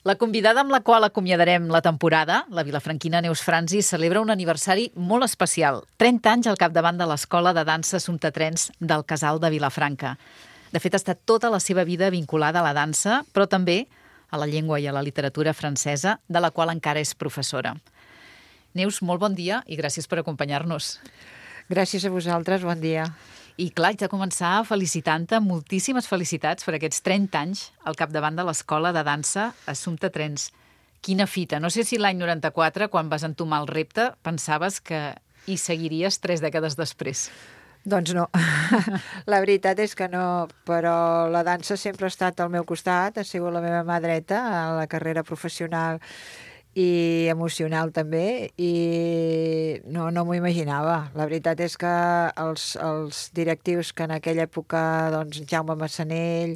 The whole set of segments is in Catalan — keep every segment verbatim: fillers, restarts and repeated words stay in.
La convidada amb la qual acomiadarem la temporada, la vilafranquina Neus Franzi, celebra un aniversari molt especial. trenta anys al capdavant de l'Escola de Dansa Assumpta Trens del Casal de Vilafranca. De fet, ha estat tota la seva vida vinculada a la dansa, però també a la llengua i a la literatura francesa, de la qual encara és professora. Neus, molt bon dia i gràcies per acompanyar-nos. Gràcies a vosaltres, bon dia. I clar, haig de començar felicitant-te, moltíssimes felicitats per aquests trenta anys al capdavant de l'Escola de Dansa Assumpta Trens. Quina fita! No sé si l'any noranta-quatre, quan vas entomar el repte, pensaves que hi seguiries tres dècades després. Doncs no. La veritat és que no, però la dansa sempre ha estat al meu costat, ha sigut la meva mà dreta a la carrera professional i emocional també, i no, no m'ho imaginava. La veritat és que els, els directius que en aquella època, doncs, Jaume Massanell,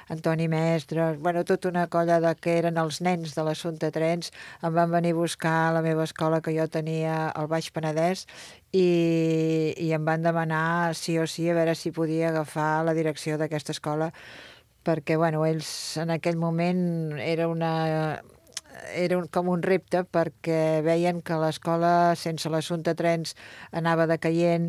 Antoni Mestres, bueno, tota una colla de que eren els nens de l'Assumpta Trens, em van venir a buscar a la meva escola que jo tenia al Baix Penedès i, i em van demanar sí o sí a veure si podia agafar la direcció d'aquesta escola, perquè, bueno, ells en aquell moment era una... era un, com un repte, perquè veien que l'escola sense l'Assumpta Trens anava decaient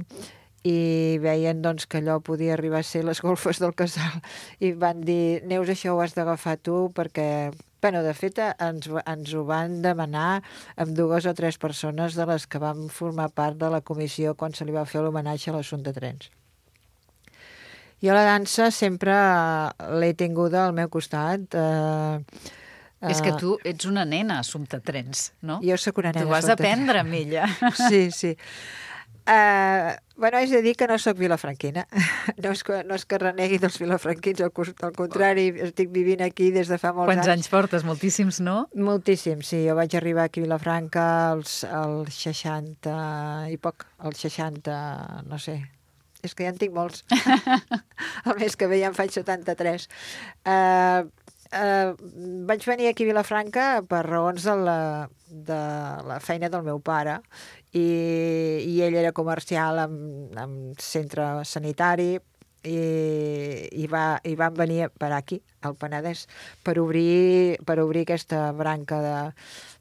i veien, doncs, que allò podia arribar a ser les golfes del casal, i van dir, Neus, això ho has d'agafar tu, perquè, bueno, de fet ens, ens ho van demanar amb dues o tres persones de les que vam formar part de la comissió quan se li va fer l'homenatge a l'Assumpta Trens. Jo la dansa sempre l'he tinguda al meu costat. eh, És que tu ets una nena Assumpta Trens, no? Jo sóc una nena. Tu vas aprendre amb ella. Sí, sí. Uh, bueno, haig de dir que no sóc vilafranquina. No és que, no és que renegui dels vilafranquins, al, al contrari, estic vivint aquí des de fa molts Quants anys. anys portes? Moltíssims, no? Moltíssims, sí. Jo vaig arribar aquí a Vilafranca als, als seixanta i poc, als seixanta, no sé. És que ja en tinc molts. El mes que ve ja en faig setanta-tres. Uh, Uh, vaig venir aquí a Vilafranca per raons de la, de la feina del meu pare, i, i ell era comercial en, en centre sanitari, i, i, va, i van venir per aquí, al Penedès, per obrir, per obrir aquesta branca de,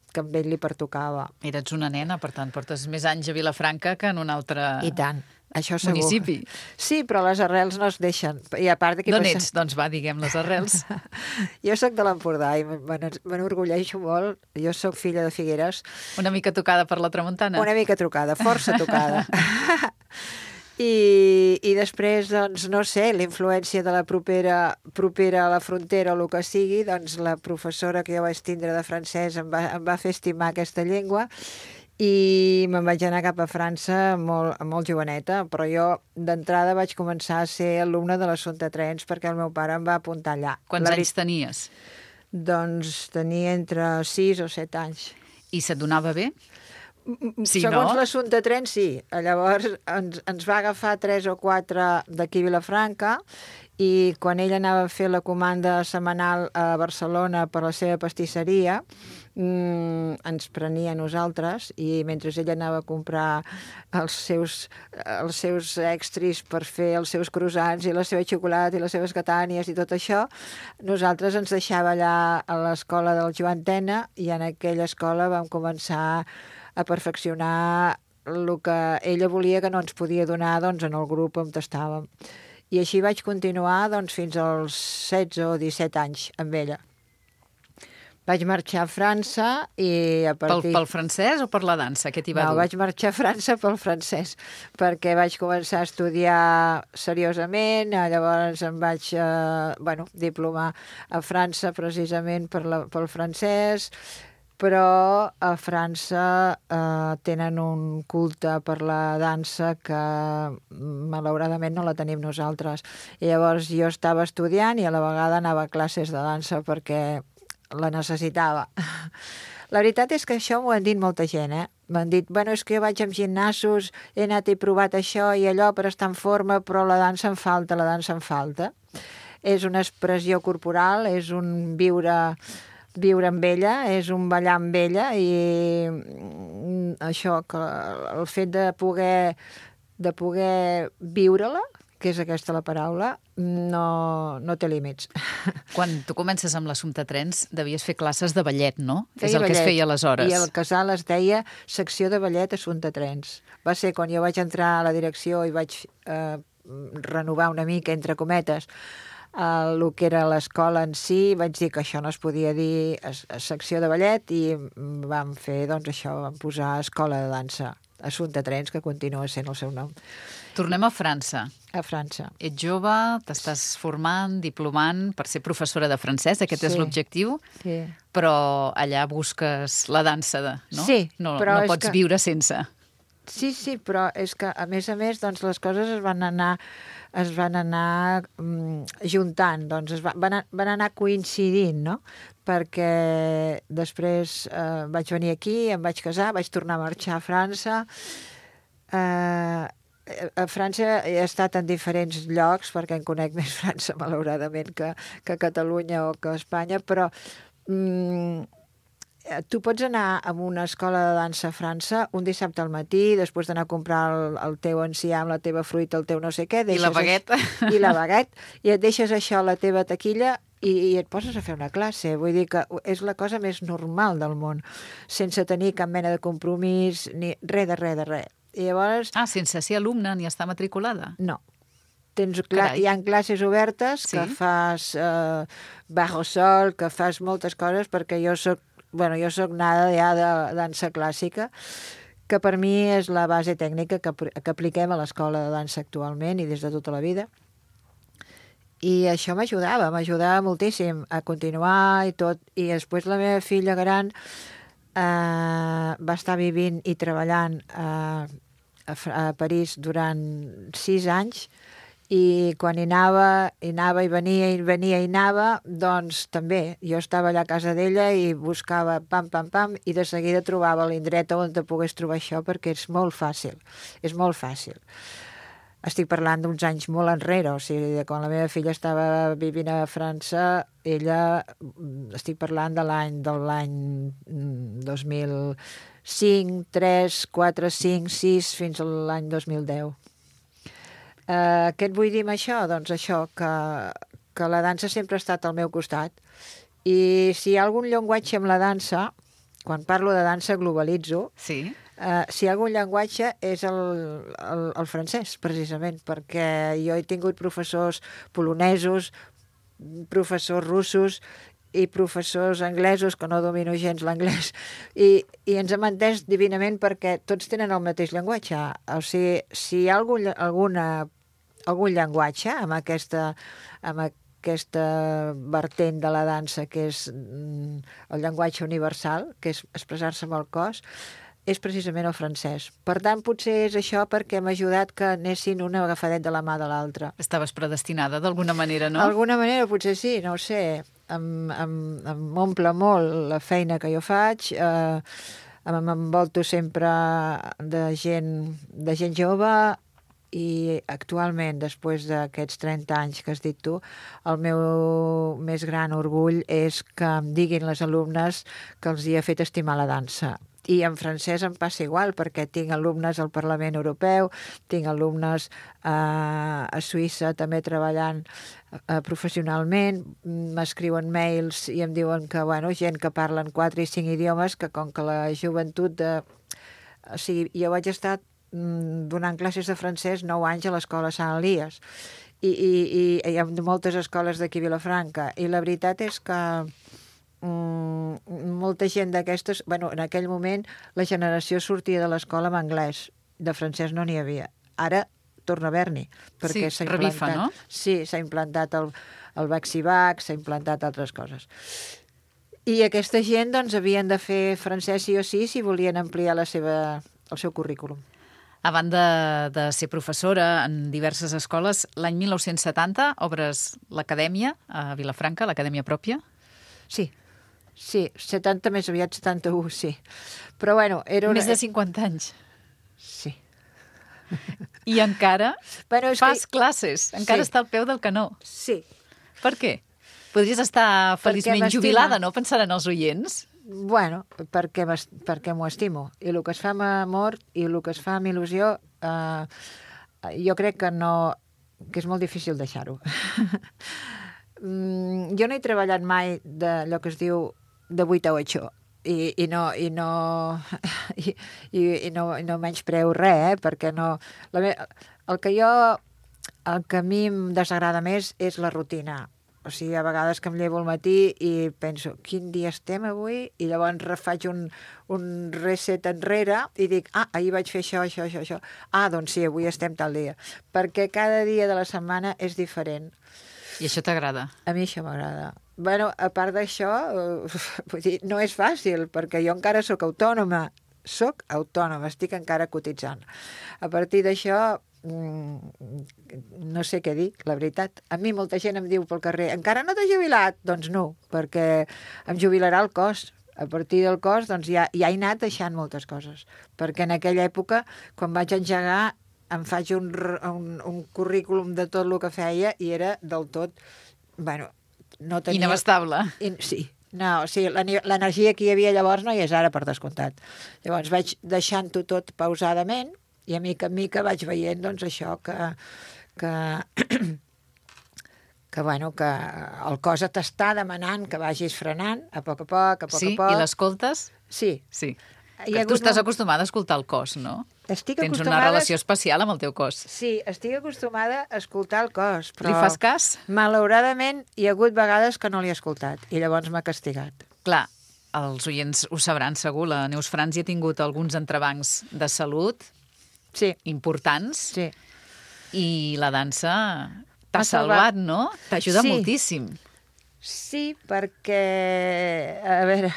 que amb ell li pertocava. Eres una nena, per tant, portes més anys a Vilafranca que en un altre... I tant. Això segur. Municipi. Sí, però les arrels no es deixen. I a part D'on passa... ets? Doncs va, diguem les arrels. Jo sóc de l'Empordà i m'enorgulleixo molt. Jo sóc filla de Figueres. Una mica tocada per la tramuntana? Una mica tocada, força tocada. I, I després, doncs, no sé, la influència de la propera, propera a la frontera o el que sigui, doncs la professora que jo vaig tindre de francès em va, em va fer estimar aquesta llengua, i me'n vaig anar cap a França molt, molt joveneta, però jo d'entrada vaig començar a ser alumne de l'Assumpta Trens perquè el meu pare em va apuntar allà. Quants la... anys tenies? Doncs tenia entre sis o set anys. I se't donava bé? Sí, segons no? L'Assumpta Trens, sí. Llavors ens, ens va agafar tres o quatre d'aquí a Vilafranca, i quan ell anava a fer la comanda setmanal a Barcelona per la seva pastisseria, mmm, ens prenia a nosaltres, i mentre ell anava a comprar els seus, els seus extris per fer els seus croissants i la seva xocolata i les seves catànies i tot això, nosaltres ens deixava allà a l'escola del Joan Tena, i en aquella escola vam començar a perfeccionar el que ella volia que no ens podia donar, doncs, en el grup on estàvem. I així vaig continuar, doncs, fins als setze o disset anys amb ella. Vaig marxar a França i a partir... Pel, pel francès o per la dansa? Què t'hi va no, dur? vaig marxar a França pel francès, perquè vaig començar a estudiar seriosament, llavors em vaig eh, bueno, diplomar a França precisament per la, pel francès, però a França eh, tenen un culte per la dansa que malauradament no la tenim nosaltres. I llavors jo estava estudiant i a la vegada anava a classes de dansa perquè la necessitava. La veritat és que això m'ho han dit molta gent, eh? M'han dit, bueno, és que jo vaig amb gimnasos, he anat i provat això i allò per estar en forma, però la dansa em falta, la dansa em falta. És una expressió corporal, és un viure... viure amb ella, és un ballar amb ella, i això, que el fet de poder, de poder viure-la, que és aquesta la paraula, no, no té límits. Quan tu comences amb l'Assumpta Trens, devies fer classes de ballet, no? Feia és el ballet, que es feia aleshores. I el casal es deia secció de ballet Assumpta Trens. Va ser quan jo vaig entrar a la direcció i vaig eh, renovar una mica, entre cometes, el que era l'escola en si, vaig dir que això no es podia dir a, a secció de ballet i vam fer, doncs això, vam posar escola de dansa Assumpta Trens, que continua sent el seu nom. Tornem a França. A França. Ets jove, t'estàs formant, diplomant per ser professora de francès, aquest Sí. és l'objectiu, Sí. però allà busques la dansa, de, no? Sí, no, però no és pots que- viure sense. Sí, sí, però és que, a més a més, doncs, les coses es van anar, es van anar mm, juntant, doncs es va, van, a- van anar coincidint, no? Perquè després eh, vaig venir aquí, em vaig casar, vaig tornar a marxar a França. Eh, a França he estat en diferents llocs, perquè en conec més França, malauradament, que, que Catalunya o que Espanya, però mm, eh, tu pots anar a una escola de dansa a França un dissabte al matí, després d'anar a comprar el, el teu enciam, la teva fruita, el teu no sé què. I la deixes baguette. Això, I la baguette. I et deixes això a la teva taquilla i, i et poses a fer una classe. Vull dir que és la cosa més normal del món, sense tenir cap mena de compromís, ni res de res de res. I llavors, Ah, sense ser alumne ni estar matriculada. no. Tens cla Carai. hi ha classes obertes Sí? que fas eh, bajo sol, que fas moltes coses, perquè jo soc, bueno, jo soc nada ja de dansa clàssica, que per mi és la base tècnica que, apl- que apliquem a l'escola de dansa actualment i des de tota la vida. I això m'ajudava, m'ajudava moltíssim a continuar i tot. I després la meva filla gran eh, va estar vivint i treballant a, a, Fr- a París durant sis anys i quan hi anava, hi anava i venia i venia i anava, doncs també jo estava allà a casa d'ella i buscava pam, pam, pam i de seguida trobava l'indret on te pogués trobar això perquè és molt fàcil, és molt fàcil. Estic parlant d'uns anys molt enrere, o sigui, de quan la meva filla estava vivint a França, ella, mm, estic parlant de l'any de l'any mm, dos mil cinc, tres, quatre, cinc, sis, fins a l'any dos mil deu. Eh, què et vull dir amb això? Doncs això, que, que la dansa sempre ha estat al meu costat. I si hi ha algun llenguatge amb la dansa, quan parlo de dansa globalitzo, Sí. Uh, si hi ha algun llenguatge és el, el, el francès, precisament, perquè jo he tingut professors polonesos, professors russos i professors anglesos, que no domino gens l'anglès, i, i ens hem entès divinament perquè tots tenen el mateix llenguatge. O sigui, si hi ha algun, alguna, algun llenguatge amb aquesta, amb aquesta vertent de la dansa, que és mm, el llenguatge universal, que és expressar-se amb el cos, és precisament el francès. Per tant, potser és això perquè m'ha ajudat que anessin una agafadet de la mà de l'altra. Estaves predestinada d'alguna manera, no? D'alguna manera, potser sí, no ho sé. Em, em, em omple molt la feina que jo faig, eh, m'envolto sempre de gent, de gent jove i actualment, després d'aquests trenta anys que has dit tu, el meu més gran orgull és que em diguin les alumnes que els hi ha fet estimar la dansa. I en francès em passa igual, perquè tinc alumnes al Parlament Europeu, tinc alumnes eh, a Suïssa també treballant eh, professionalment, m'escriuen mails i em diuen que, bueno, gent que parlen quatre i cinc idiomes, que com que la joventut de... O sigui, jo vaig estar mm, donant classes de francès nou anys a l'escola Sant Elies i, i, i hi ha moltes escoles d'aquí a Vilafranca i la veritat és que Mm, molta gent d'aquestes, bueno, en aquell moment la generació sortia de l'escola amb anglès, de francès no n'hi havia. Ara torna a haver-n'hi, perquè Sí, s'ha revifa, implantat. no? Sí, s'ha implantat el, el Vaxivac, s'ha implantat altres coses. I aquesta gent, doncs, havien de fer francès sí o sí si volien ampliar la seva, el seu currículum. A banda de ser professora en diverses escoles, l'any mil nou-cents setanta obres l'acadèmia a Vilafranca, l'acadèmia pròpia. Sí, sí, setanta més aviat, setanta-u, sí. Però bueno, era una... Més de cinquanta anys. Sí. I encara Bueno, és fas que... classes, encara Sí. està al peu del canó. Sí. Per què? Podries estar feliçment m'estima. jubilada, no? Pensaran els oients. Bueno, perquè, m'es- perquè m'ho estimo. I el que es fa amb amor i el que es fa amb il·lusió, eh, jo crec que no, que és molt difícil deixar-ho. Mm, jo no he treballat mai d'allò que es diu de vuit a ocho, i, i no i no i, i, i no, i no menyspreo res, eh? Perquè no... La me... El que jo... El que a mi em desagrada més és la rutina. O sigui, a vegades que em llevo al matí i penso, quin dia estem avui? I llavors refaig un, un reset enrere i dic, ah, ahir vaig fer això, això, això, això. Ah, doncs sí, avui estem tal dia. Perquè cada dia de la setmana és diferent. I això t'agrada? A mi això m'agrada. Bueno, a part d'això, uh, vull dir, no és fàcil, perquè jo encara sóc autònoma. Soc autònoma, estic encara cotitzant. A partir d'això, no sé què dir, la veritat. A mi molta gent em diu pel carrer, encara no t'has jubilat? Doncs no, perquè em jubilarà el cos. A partir del cos, doncs ja, ja he anat deixant moltes coses. Perquè en aquella època, quan vaig engegar, em faig un, un, un currículum de tot el que feia i era del tot, bueno, no tenia... Inabastable. In, sí, no, o sigui, l'energia que hi havia llavors no hi és ara, per descomptat. Llavors vaig deixant-ho tot pausadament i a mica en mica vaig veient, doncs, això que... que que, bueno, que el cos t'està demanant que vagis frenant a poc a poc, a poc sí? a poc. Sí? I l'escoltes? Sí. Sí. Tu estàs molt... acostumada a escoltar el cos, no? Estic Tens acostumada... una relació especial amb el teu cos. Sí, estic acostumada a escoltar el cos, però... Li fas cas? Malauradament, hi ha hagut vegades que no l'he escoltat i llavors m'ha castigat. Clar, els oients ho sabran segur, la Neus Franzi ha tingut alguns entrebancs de salut sí. importants sí. i la dansa t'ha salvat, no? T'ajuda sí. moltíssim. Sí, perquè, a veure,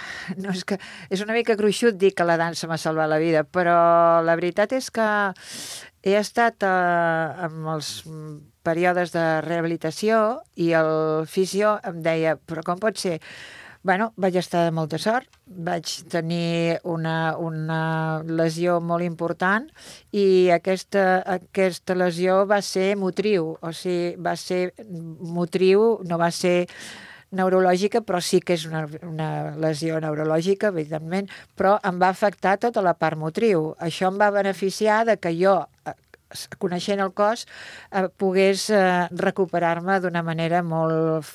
no és, que, és una mica gruixut dir que la dansa m'ha salvat la vida, però la veritat és que he estat eh, en els períodes de rehabilitació i el fisio em deia, però com pot ser? Bueno, vaig estar de molta sort, vaig tenir una, una lesió molt important i aquesta, aquesta lesió va ser motriu, o sigui, va ser motriu, no va ser neurològica, però sí que és una, una lesió neurològica, evidentment, però em va afectar tota la part motriu. Això em va beneficiar de que jo, coneixent el cos, eh, pogués eh, recuperar-me d'una manera molt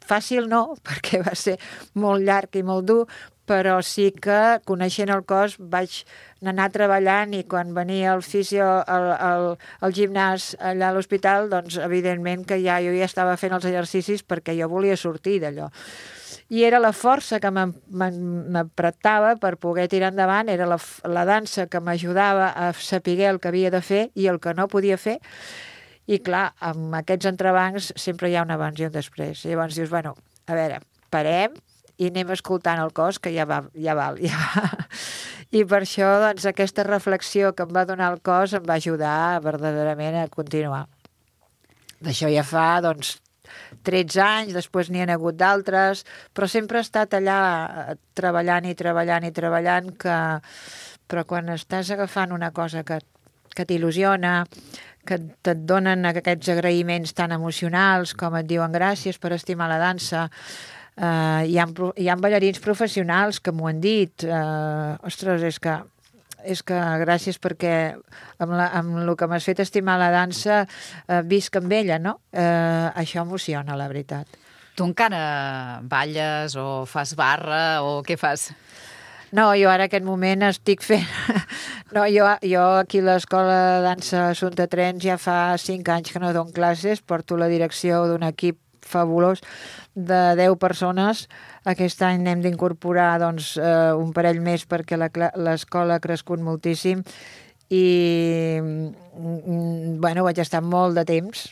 fàcil, no, perquè va ser molt llarg i molt dur, però sí que, coneixent el cos, vaig anar treballant i quan venia el fisio al, al, al gimnàs allà a l'hospital, doncs, evidentment que ja jo ja estava fent els exercicis perquè jo volia sortir d'allò. I era la força que m'apretava per poder tirar endavant, era la, la dansa que m'ajudava a saber el que havia de fer i el que no podia fer. I clar, amb aquests entrebancs sempre hi ha un abans i un després. I llavors dius, bueno, a veure, parem i anem escoltant el cos, que ja va, ja val, ja va. I per això, doncs, aquesta reflexió que em va donar el cos em va ajudar verdaderament a continuar. D'això ja fa, doncs, tretze anys, després n'hi ha hagut d'altres, però sempre he estat allà treballant i treballant i treballant, que... però quan estàs agafant una cosa que, que t'il·lusiona, que et donen aquests agraïments tan emocionals, com et diuen gràcies per estimar la dansa. Uh, hi, ha, hi ha ballarins professionals que m'ho han dit. Uh, ostres, és que, és que gràcies perquè amb, la, amb el que m'has fet estimar la dansa uh, visc amb ella, no? Uh, això emociona, la veritat. Tu encara balles o fas barra o què fas? No, jo ara en aquest moment estic fent... No, jo, jo aquí a l'Escola de Dansa Assumpta Trens ja fa cinc anys que no dono classes, porto la direcció d'un equip fabulós de deu persones. Aquest any n'hem d'incorporar doncs, eh, un parell més perquè l'escola ha crescut moltíssim i bueno, vaig estar molt de temps,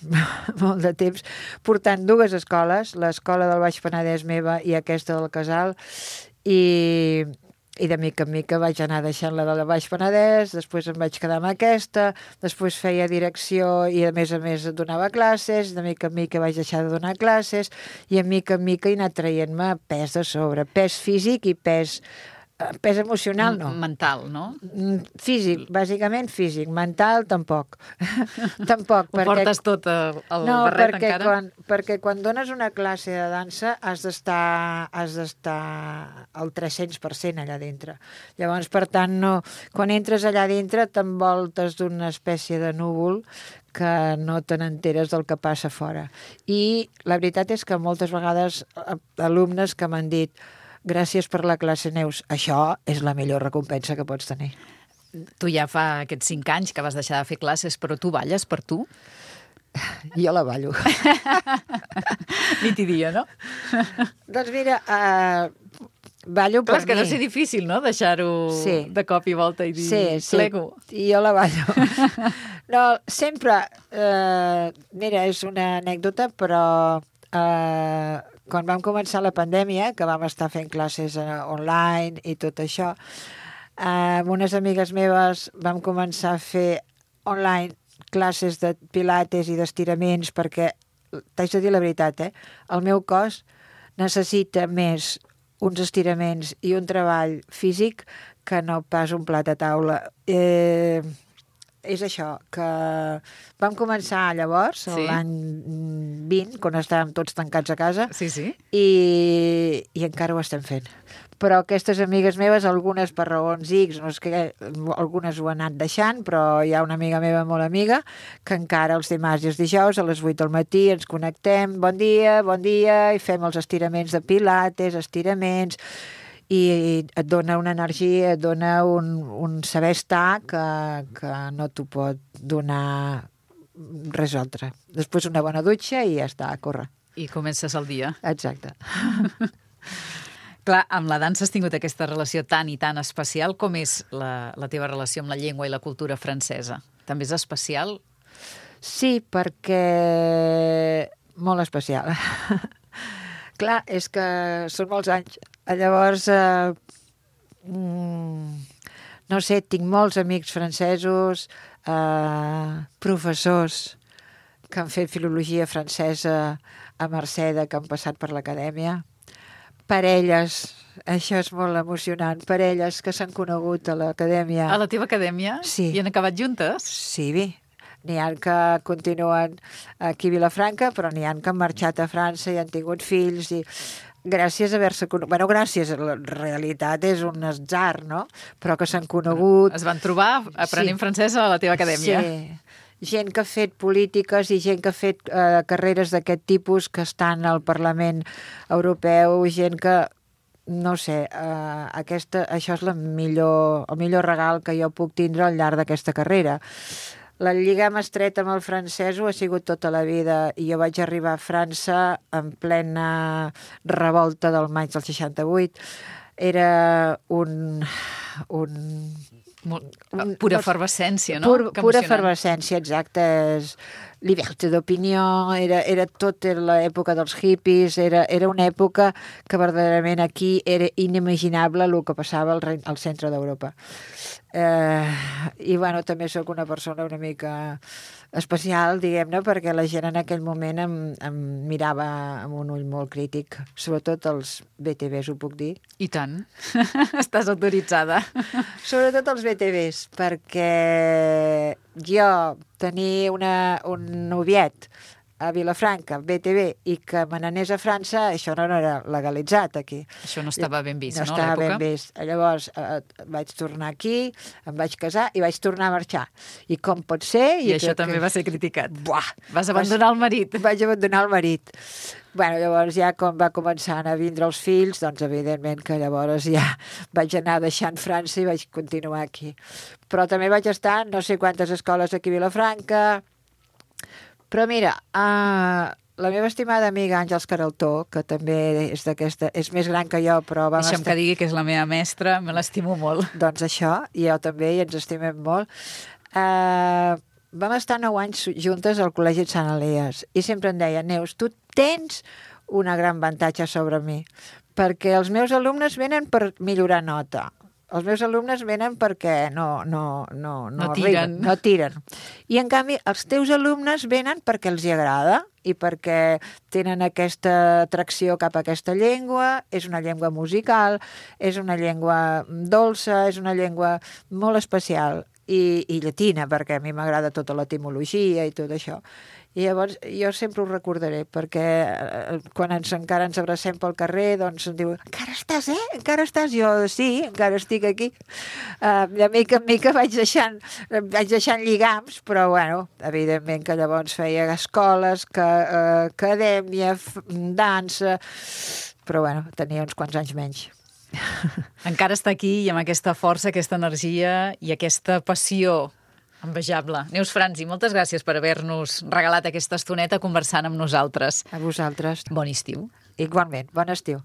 molt de temps, portant dues escoles, l'escola del Baix Penedès meva i aquesta del Casal, i... i de mica en mica vaig anar deixant la del Baix Penedès, després em vaig quedar amb aquesta, després feia direcció i a més a més donava classes, de mica en mica vaig deixar de donar classes i a mica en mica he anat traient-me pes de sobre, pes físic i pes Pes emocional, no. Mental, no? Físic, bàsicament físic. Mental, tampoc. Tampoc. Ho perquè... portes tot al no, barret perquè encara? Quan, perquè quan dones una classe de dansa has d'estar has d'estar al tres-cents per cent allà dintre. Llavors, per tant, no, quan entres allà dintre t'envoltes d'una espècie de núvol que no te n'enteres del que passa fora. I la veritat és que moltes vegades alumnes que m'han dit gràcies per la classe, Neus. Això és la millor recompensa que pots tenir. Tu ja fa aquests cinc anys que vas deixar de fer classes, però tu balles per tu? Jo la ballo. Nit i dia, no? Doncs mira, uh, ballo per Clar, és que mi. deu ser difícil, no?, deixar-ho sí. de cop i volta i dir sí, sí. plego. I jo la ballo. No, sempre... Uh, mira, és una anècdota, però... Uh, quan vam començar la pandèmia, que vam estar fent classes online i tot això, eh, amb unes amigues meves vam començar a fer online classes de pilates i d'estiraments perquè, t'haig de dir la veritat, eh, el meu cos necessita més uns estiraments i un treball físic que no pas un plat a taula. Eh, és això, que vam començar llavors, sí. l'any vint, quan estàvem tots tancats a casa, sí, sí. I, i encara ho estem fent. Però aquestes amigues meves, algunes per raons X, no és que algunes ho han anat deixant, però hi ha una amiga meva molt amiga que encara els dimarts i els dijous a les vuit del matí ens connectem, bon dia, bon dia, i fem els estiraments de pilates, estiraments, i et dona una energia, et dona un, un saber estar que, que no t'ho pot donar res altre. Després una bona dutxa i ja està, a córrer. I comences el dia. Exacte. Clar, amb la dansa has tingut aquesta relació tan i tan especial. Com és la, la teva relació amb la llengua i la cultura francesa? També és especial? Sí, perquè... molt especial. Clar, és que són molts anys. Llavors, eh, no sé, tinc molts amics francesos, eh, professors que han fet filologia francesa a Merceda, que han passat per l'acadèmia, parelles, això és molt emocionant, parelles que s'han conegut a l'acadèmia. A la teva acadèmia? Sí. I han acabat juntes? Sí, bé. N'hi ha que continuen aquí a Vilafranca, però n'hi ha que han marxat a França i han tingut fills i... gràcies a haver-se conegut... Bueno, gràcies, la realitat és un atzar, no? Però que s'han conegut... Es van trobar aprenent sí. francès a la teva acadèmia. Sí. Gent que ha fet polítiques i gent que ha fet eh, carreres d'aquest tipus que estan al Parlament Europeu, gent que... No sé, eh, aquesta, això és la millor, el millor regal que jo puc tindre al llarg d'aquesta carrera. La lligam estreta amb el francès ho ha sigut tota la vida i jo vaig arribar a França en plena revolta del maig del seixanta-vuit. Era un... un Molt, pura efervescència, no? Pur, pura efervescència, exacte. Liberté d'opinió, era, era tot era l'època dels hippies, era, era una època que verdaderament aquí era inimaginable el que passava al, al centre d'Europa. Eh, I, bueno, també sóc una persona una mica especial, diguem-ne, perquè la gent en aquell moment em, em mirava amb un ull molt crític, sobretot els B T Bs, ho puc dir? I tant. Estàs autoritzada. Sobretot els B T Bs, perquè jo tenir una, un noviet a Vilafranca, B T B, i que me n'anés a França, això no era legalitzat aquí. Això no estava ben vist, no, no? No estava ben vist. Llavors eh, vaig tornar aquí, em vaig casar i vaig tornar a marxar. I com pot ser... I, I això que, també que... va ser criticat. Buah! Vas abandonar vas... el marit. Vaig abandonar el marit. Bueno, llavors ja quan va començar a vindre els fills, doncs evidentment que llavors ja vaig anar deixant França i vaig continuar aquí. Però també vaig estar en no sé quantes escoles aquí a Vilafranca. Però mira, uh, la meva estimada amiga Àngels Caraltó, que també és d'aquesta, és més gran que jo, però vam Deixa'm estar... que digui que és la meva mestra, me l'estimo molt. Doncs això, i jo també, i ens estimem molt. Uh, vam estar nou anys juntes al Col·legi de Sant Elies, i sempre em deia, Neus, tu tens una gran avantatge sobre mi, perquè els meus alumnes venen per millorar nota. Els meus alumnes venen perquè no, no, no, no, No arriben, tiren. no tiren. I, en canvi, els teus alumnes venen perquè els hi agrada i perquè tenen aquesta atracció cap a aquesta llengua, és una llengua musical, és una llengua dolça, és una llengua molt especial i, i llatina, perquè a mi m'agrada tota l'etimologia i tot això. I llavors jo sempre ho recordaré, perquè eh, quan ens, encara ens abracem pel carrer, doncs em diu, encara estàs, eh? Encara estàs? Jo, sí, encara estic aquí. Uh, de mica en mica vaig deixant, vaig deixant lligams, però, bueno, evidentment que llavors feia escoles, que, uh, acadèmia, dansa, però, bueno, tenia uns quants anys menys. Encara està aquí i amb aquesta força, aquesta energia i aquesta passió envejable. Neus Franzi, moltes gràcies per haver-nos regalat aquesta estoneta conversant amb nosaltres. A vosaltres. Bon estiu. Igualment, bon estiu.